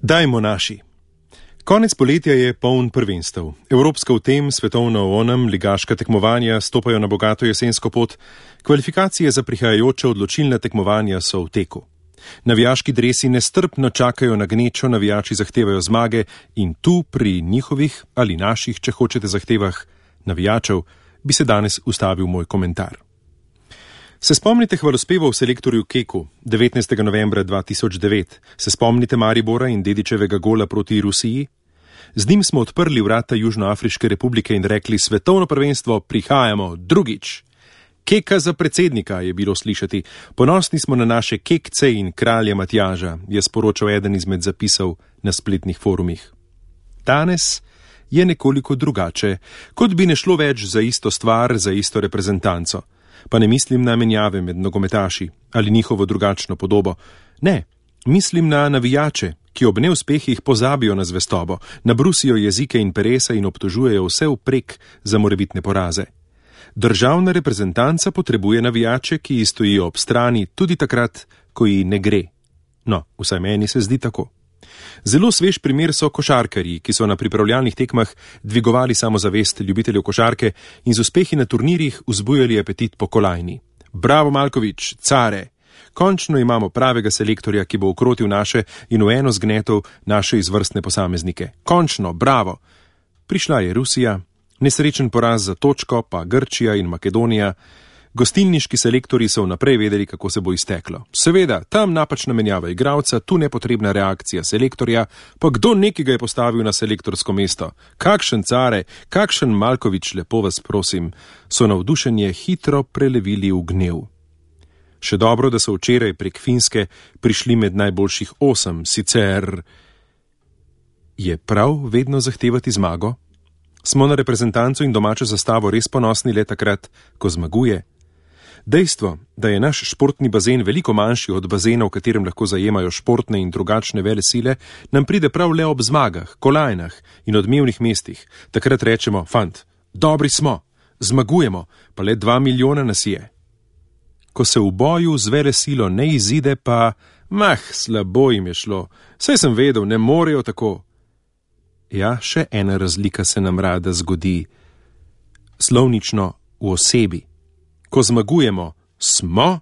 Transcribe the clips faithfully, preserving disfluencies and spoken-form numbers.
Dajmo naši. Konec poletja je poln prvenstev. Evropska v tem, svetovna v onem, ligaška tekmovanja stopajo na bogato jesensko pot, kvalifikacije za prihajajoče odločilne tekmovanja so v teku. Navijaški dresi nestrpno čakajo na gnečo, navijači zahtevajo zmage in tu pri njihovih ali naših, če hočete, zahtevah navijačev, bi se danes ustavil moj komentar. Se spomnite hvalospevov selektorju Keku devetnajstega novembra dva tisoč devet? Se spomnite Maribora in Dedićevega gola proti Rusiji? Z njim smo odprli vrata Južnoafriške republike in rekli: svetovno prvenstvo, prihajamo drugič. Keka za predsednika, je bilo slišati. Ponosni smo na naše kekce in kralja Matjaža, je sporočal eden izmed zapisov na spletnih forumih. Danes je nekoliko drugače, kot bi ne šlo več za isto stvar, za isto reprezentanco. Pa ne mislim na menjave med nogometaši ali njihovo drugačno podobo. Ne, mislim na navijače, ki ob neuspehih pozabijo na zvestobo, nabrusijo jezike in peresa in obtožujejo vse vprek za morebitne poraze. Državna reprezentanca potrebuje navijače, ki ji stojijo ob strani tudi takrat, ko ji ne gre. No, vsaj meni se zdi tako. Zelo svež primer so košarkarji, ki so na pripravljalnih tekmah dvigovali samozavest ljubiteljev košarke in z uspehi na turnirjih vzbujali apetit po kolajni. Bravo Malkovič, care! Končno imamo pravega selektorja, ki bo ukrotil naše in v eno zgnetov naše izvrstne posameznike. Končno, bravo! Prišla je Rusija, nesrečen poraz za točko, pa Grčija in Makedonija. Gostilniški selektorji so vnaprej vedeli, kako se bo izteklo. Seveda, tam napačna menjava igralca, tu nepotrebna reakcija selektorja, pa kdo nekega je postavil na selektorsko mesto? Kakšen care, kakšen Malkovič, lepo vas prosim, so navdušenje hitro prelevili v gnev. Še dobro, da so včeraj prek Finske prišli med najboljših osem, sicer je prav vedno zahtevati zmago? Smo na reprezentanco in domačo zastavo res ponosni le takrat, ko zmaguje? Dejstvo, da je naš športni bazen veliko manjši od bazena, v katerem lahko zajemajo športne in drugačne vele sile, nam pride prav le ob zmagah, kolajnah in odmevnih mestih. Takrat rečemo: fant, dobri smo, zmagujemo, pa le dva milijona nas je. Ko se v boju z vele silo ne izide, pa mah, slabo jim je šlo, saj sem vedel, ne morejo tako. Ja, še ena razlika se nam rada zgodi. Slovnično v osebi. Ko zmagujemo, smo,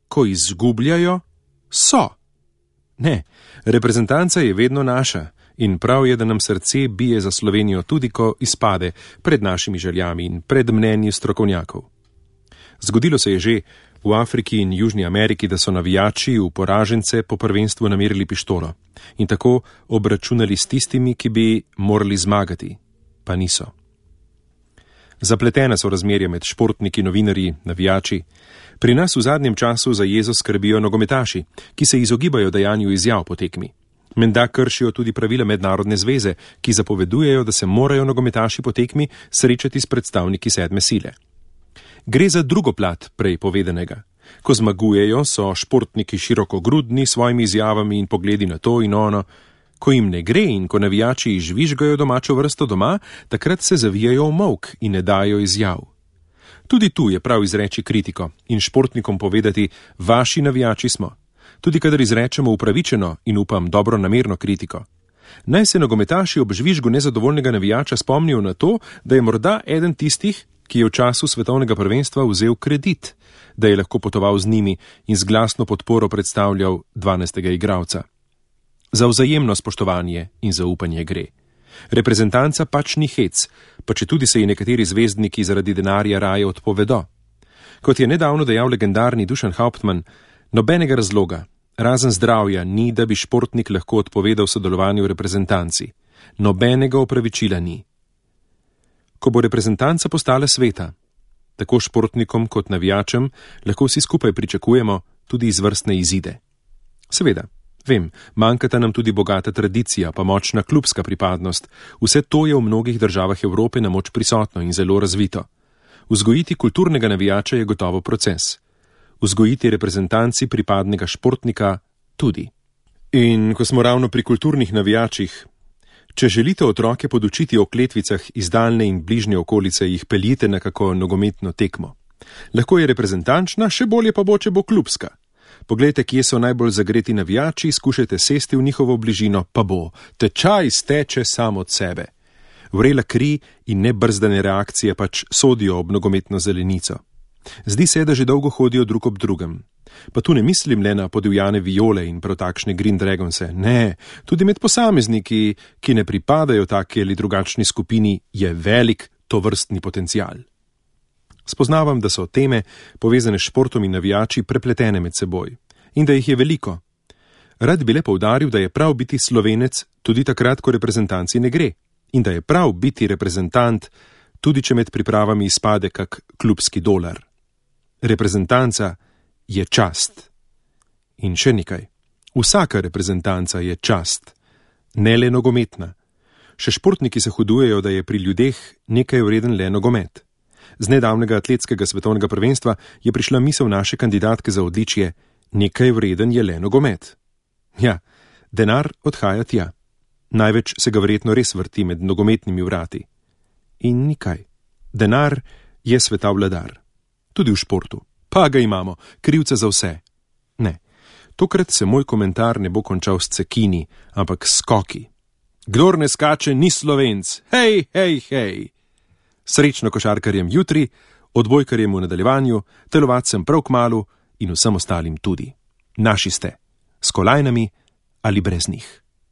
ko izgubljajo, so. Ne, reprezentanca je vedno naša in prav je, da nam srce bije za Slovenijo tudi, ko izpade pred našimi željami in pred mnenji strokovnjakov. Zgodilo se je že v Afriki in Južni Ameriki, da so navijači v poražence po prvenstvu namerili pištolo in tako obračunali s tistimi, ki bi morali zmagati, pa niso. Zapletena so razmerja med športniki, novinarji, navijači. Pri nas v zadnjem času za jezo skrbijo nogometaši, ki se izogibajo dajanju izjav po tekmi. Menda kršijo tudi pravila mednarodne zveze, ki zapovedujejo, da se morajo nogometaši po tekmi srečati s predstavniki sedme sile. Gre za drugo plat prej povedanega. Ko zmagujejo, so športniki širokogrudni s svojimi izjavami in pogledi na to in ono. Ko jim ne gre in ko navijači žvižgajo domačo vrsto doma, takrat se zavijajo v molk in ne dajo izjav. Tudi tu je prav izreči kritiko in športnikom povedati: vaši navijači smo. Tudi kadar izrečemo upravičeno in upam dobro namerno kritiko. Naj se nogometaši ob žvižgu nezadovoljnega navijača spomnijo na to, da je morda eden tistih, ki je v času svetovnega prvenstva vzel kredit, da je lahko potoval z njimi in z glasno podporo predstavljal dvanajstega igralca. Za vzajemno spoštovanje in zaupanje gre. Reprezentanca pač ni hec, pa če tudi se ji nekateri zvezdniki zaradi denarja raje odpovedo. Kot je nedavno dejal legendarni Dušan Hauptmann, nobenega razloga, razen zdravja, ni, da bi športnik lahko odpovedal sodelovanju v reprezentanci. Nobenega opravičila ni. Ko bo reprezentanca postala sveta, tako športnikom kot navijačem, lahko vsi skupaj pričakujemo tudi izvrstne izide. Seveda, vem, manjkata nam tudi bogata tradicija, pa močna klubska pripadnost. Vse to je v mnogih državah Evrope na moč prisotno in zelo razvito. Vzgojiti kulturnega navijača je gotovo proces. Vzgojiti reprezentanci pripadnega športnika tudi. In ko smo ravno pri kulturnih navijačih, če želite otroke podučiti o kletvicah iz daljne in bližnje okolice, jih peljite na kako nogometno tekmo. Lahko je reprezentančna, še bolje pa bo, če bo klubska. Poglejte, kje so najbolj zagreti navijači, skušajte sesti v njihovo bližino, pa bo. Tečaj steče sam od sebe. Vrela kri in nebrzdane reakcije pač sodijo ob nogometno zelenico. Zdi se, da že dolgo hodijo drug ob drugem. Pa tu ne mislim le na podivjane viole in prav takšne Green Dragonse, ne, tudi med posamezniki, ki ne pripadajo taki ali drugačni skupini, je velik tovrstni potencial. Spoznavam, da so teme, povezane s športom in navijači, prepletene med seboj in da jih je veliko. Rad bi le poudaril, da je prav biti Slovenec tudi takrat, ko reprezentanci ne gre, in da je prav biti reprezentant, tudi če med pripravami izpade kak klubski dolar. Reprezentanca je čast. In še nekaj. Vsaka reprezentanca je čast, ne le nogometna. Še športniki se hudujejo, da je pri ljudeh nekaj vreden le nogomet. Z nedavnega atletskega svetovnega prvenstva je prišla misel naše kandidatke za odličje: nekaj vreden je le nogomet. Ja, denar odhaja tja. Največ se ga verjetno res vrti med nogometnimi vrati. In nikaj. Denar je sveta vladar. Tudi v športu. Pa ga imamo, krivca za vse. Ne, tokrat se moj komentar ne bo končal s cekini, ampak s skoki. Kdor ne skače, ni Slovenc. Hej, hej, hej. Srečno košarkarjem jutri, odbojkarjem v nadaljevanju, telovadcem prav kmalu in vsem ostalim tudi. Naši ste. S kolajnami ali brez njih.